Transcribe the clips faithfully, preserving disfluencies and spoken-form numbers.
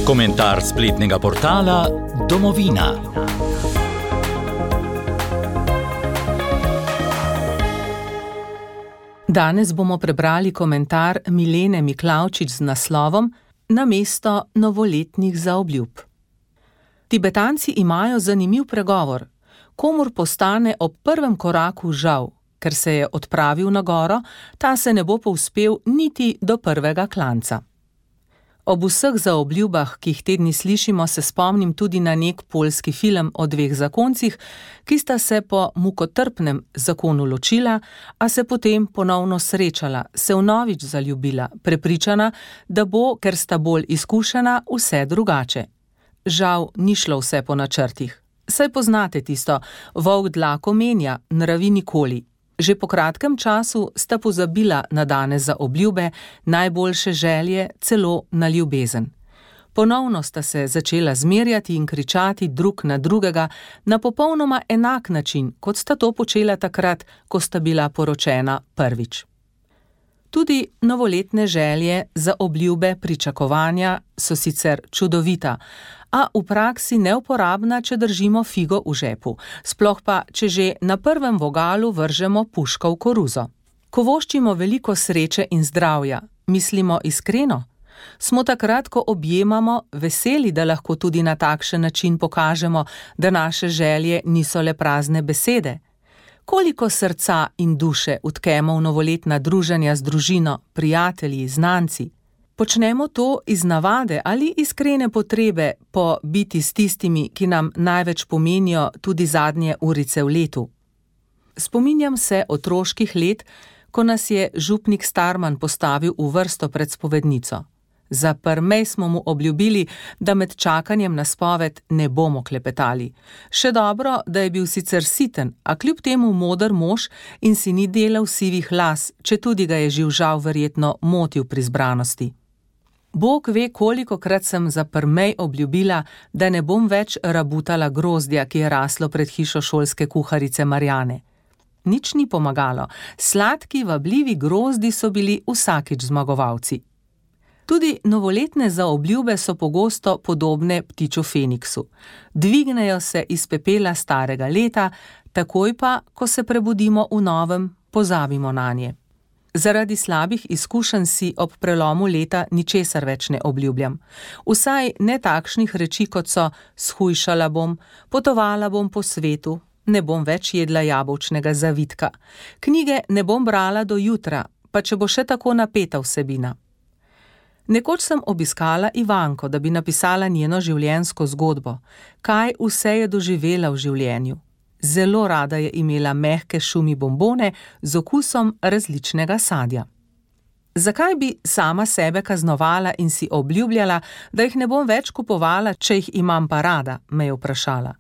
Komentar spletnega portala Domovina. Danes bomo prebrali komentar Milene Miklavčič z naslovom Namesto novoletnih zaobljub. Tibetanci imajo zanimiv pregovor. Komur postane ob prvem koraku žal, ker se je odpravil na goro, ta se ne bo povzpel niti do prvega klanca. Ob vseh zaobljubah, ki jih te dni slišimo, se spomnim tudi na nek poljski film o dveh zakoncih, ki sta se po mukotrpnem zakonu ločila, a se potem ponovno srečala, se vnovič zaljubila, prepričana, da bo, ker sta bolj izkušena, vse drugače. Žal ni šlo vse po načrtih. Saj poznate tisto, volk dlako menja, nravi nikoli. Že po kratkem času sta pozabila na dane zaobljube, najboljše želje, celo na ljubezen. Ponovno sta se začela zmerjati in kričati drug na drugega na popolnoma enak način, kot sta to počela takrat, ko sta bila poročena prvič. Tudi novoletne želje, zaobljube, pričakovanja so sicer čudovita, a v praksi neuporabna, če držimo figo v žepu, sploh pa, če že na prvem vogalu vržemo puško v koruzo. Ko voščimo veliko sreče in zdravja, mislimo iskreno? Smo takrat, ko objemamo, veseli, da lahko tudi na takšen način pokažemo, da naše želje niso le prazne besede? Koliko srca in duše utkemo v novoletna druženja z družino, prijatelji, znanci? Počnemo to iz navade ali iskrene potrebe po biti s tistimi, ki nam največ pomenijo tudi zadnje urice v letu. Spominjam se otroških let, ko nas je župnik Starman postavil v vrsto pred spovednico. Za prmej smo mu obljubili, da med čakanjem na spoved ne bomo klepetali. Še dobro, da je bil sicer siten, a kljub temu moder mož in si ni delal sivih las, četudi ga je živžav verjetno motil pri zbranosti. Bog ve, kolikokrat sem za prmej obljubila, da ne bom več rabutala grozdja, ki je raslo pred hišo šolske kuharice Marjane. Nič ni pomagalo, sladki, vabljivi grozdi so bili vsakič zmagovalci. Tudi novoletne zaobljube so pogosto podobne ptiču Feniksu. Dvignejo se iz pepela starega leta, takoj pa, ko se prebudimo v novem, pozabimo nanje. Zaradi slabih izkušenj si ob prelomu leta ničesar več ne obljubljam. Vsaj ne takšnih reči, kot so shujšala bom, potovala bom po svetu, ne bom več jedla jabolčnega zavitka. Knjige ne bom brala do jutra, pa če bo še tako napeta vsebina. Nekoč sem obiskala Ivanko, da bi napisala njeno življenjsko zgodbo. Kaj vse je doživela v življenju? Zelo rada je imela mehke šumi bombone z okusom različnega sadja. Zakaj bi sama sebe kaznovala in si obljubljala, da jih ne bom več kupovala, če jih imam pa rada, me je vprašala.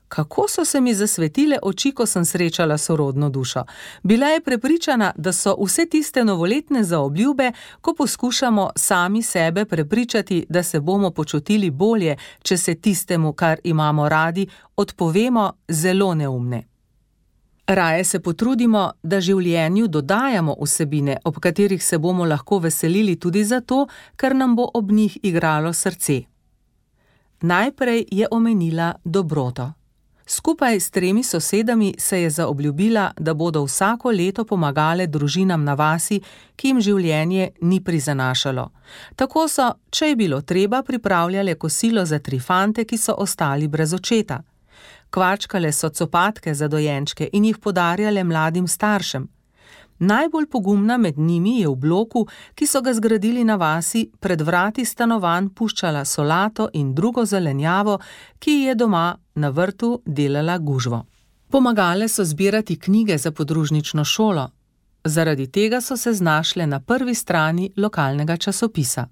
Kako so se mi zasvetile oči, ko sem srečala sorodno dušo. Bila je prepričana, da so vse tiste novoletne zaobljube, ko poskušamo sami sebe prepričati, da se bomo počutili bolje, če se tistemu, kar imamo radi, odpovemo, zelo neumne. Raje se potrudimo, da življenju dodajamo vsebine, ob katerih se bomo lahko veselili tudi zato, ker nam bo ob njih igralo srce. Najprej je omenila dobroto. Skupaj s tremi sosedami se je zaobljubila, da bodo vsako leto pomagale družinam na vasi, ki jim življenje ni prizanašalo. Tako so, če je bilo treba, pripravljale kosilo za tri fante, ki so ostali brez očeta. Kvačkale so copatke za dojenčke in jih podarjale mladim staršem. Najbolj pogumna med njimi je v bloku, ki so ga zgradili na vasi, pred vrati stanovanj puščala solato in drugo zelenjavo, ki je doma na vrtu delala gužvo. Pomagale so zbirati knjige za podružnično šolo. Zaradi tega so se znašle na prvi strani lokalnega časopisa.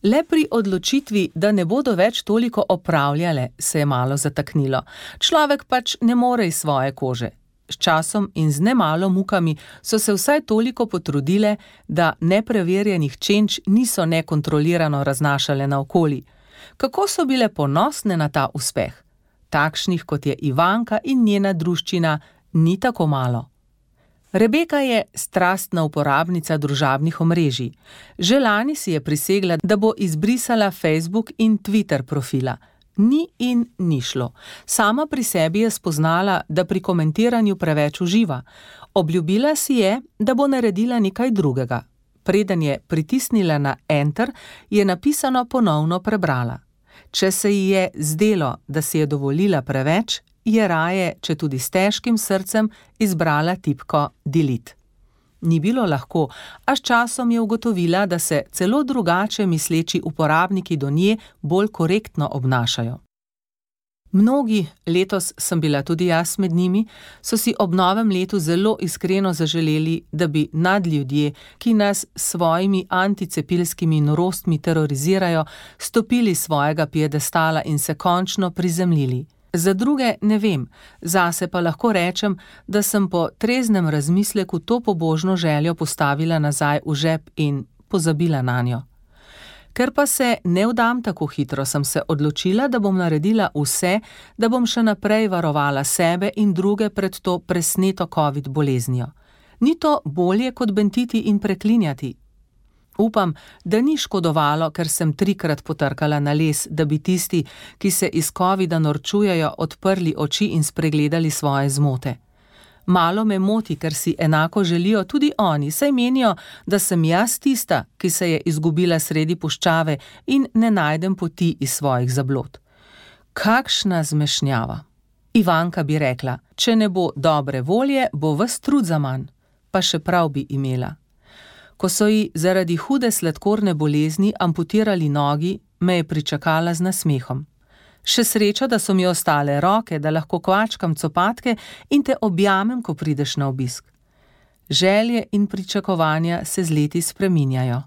Le pri odločitvi, da ne bodo več toliko opravljale, se je malo zataknilo. Človek pač ne more iz svoje kože. S časom in z nemalo mukami so se vsaj toliko potrudile, da nepreverjenih čenč niso nekontrolirano raznašale naokoli. Kako so bile ponosne na ta uspeh? Takšnih, kot je Ivanka in njena druščina, ni tako malo. Rebeka je strastna uporabnica družabnih omrežij. Že lani si je prisegla, da bo izbrisala Facebook in Twitter profila. Ni in ni šlo. Sama pri sebi je spoznala, da pri komentiranju preveč uživa. Obljubila si je, da bo naredila nekaj drugega. Preden je pritisnila na Enter, je napisano ponovno prebrala. Če se ji je zdelo, da si je dovolila preveč, je raje, če tudi s težkim srcem, izbrala tipko Delete. Ni bilo lahko, a s časom je ugotovila, da se celo drugače misleči uporabniki do nje bolj korektno obnašajo. Mnogi, letos sem bila tudi jaz med njimi, so si ob novem letu zelo iskreno zaželeli, da bi nadljudje, ki nas s svojimi anticepilskimi norostmi terorizirajo, stopili s svojega piedestala in se končno prizemljili. Za druge ne vem, zase pa lahko rečem, da sem po treznem razmisleku to pobožno željo postavila nazaj v žep in pozabila nanjo. Ker pa se ne vdam tako hitro, sem se odločila, da bom naredila vse, da bom še naprej varovala sebe in druge pred to presneto covid boleznijo. Ni to bolje kot bentiti in preklinjati? Upam, da ni škodovalo, ker sem trikrat potrkala na les, da bi tisti, ki se iz covida norčujejo, odprli oči in spregledali svoje zmote. Malo me moti, ker si enako želijo tudi oni, saj menijo, da sem jaz tista, ki se je izgubila sredi puščave in ne najdem poti iz svojih zablod. Kakšna zmešnjava! Ivanka bi rekla, če ne bo dobre volje, bo ves trud zaman, pa še prav bi imela. Ko so ji zaradi hude sladkorne bolezni amputirali nogi, me je pričakala z nasmehom. Še sreča, da so mi ostale roke, da lahko kvačkam copatke in te objamem, ko prideš na obisk. Želje in pričakovanja se z leti spreminjajo.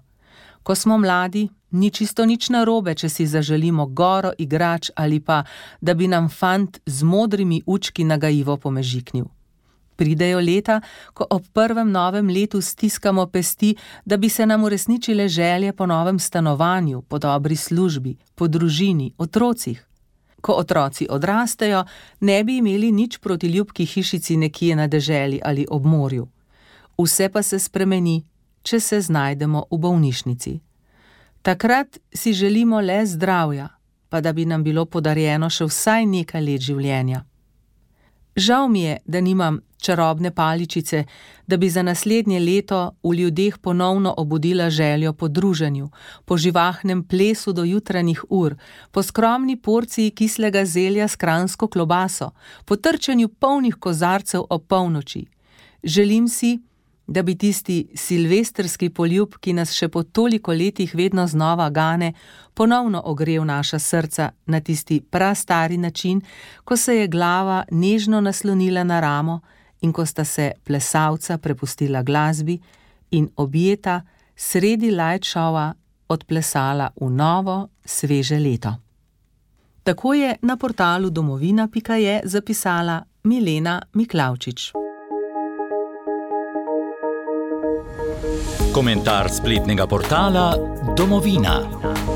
Ko smo mladi, ni čisto nič narobe, če si zaželimo goro igrač ali pa, da bi nam fant z modrimi učki nagajivo pomežiknil. Pridejo leta, ko ob prvem novem letu stiskamo pesti, da bi se nam uresničile želje po novem stanovanju, po dobri službi, po družini, otrocih. Ko otroci odrastejo, ne bi imeli nič proti ljubki hišici nekje na deželi ali ob morju. Vse pa se spremeni, če se znajdemo v bolnišnici. Takrat si želimo le zdravja, pa da bi nam bilo podarjeno še vsaj nekaj let življenja. Žal mi je, da nimam čarobne paličice, da bi za naslednje leto v ljudeh ponovno obudila željo po druženju, po živahnem plesu do jutranjih ur, po skromni porciji kislega zelja s kranjsko klobaso, po trčenju polnih kozarcev ob polnoči. Želim si, da bi tisti silvestrski poljub, ki nas še po toliko letih vedno znova gane, ponovno ogrel naša srca na tisti prastari način, ko se je glava nežno naslonila na ramo in ko sta se plesalca prepustila glasbi in objeta sredi light showa odplesala v novo, sveže leto. Tako je na portalu domovina pika je zapisala Milena Miklavčič. Komentar spletnega portala Domovina.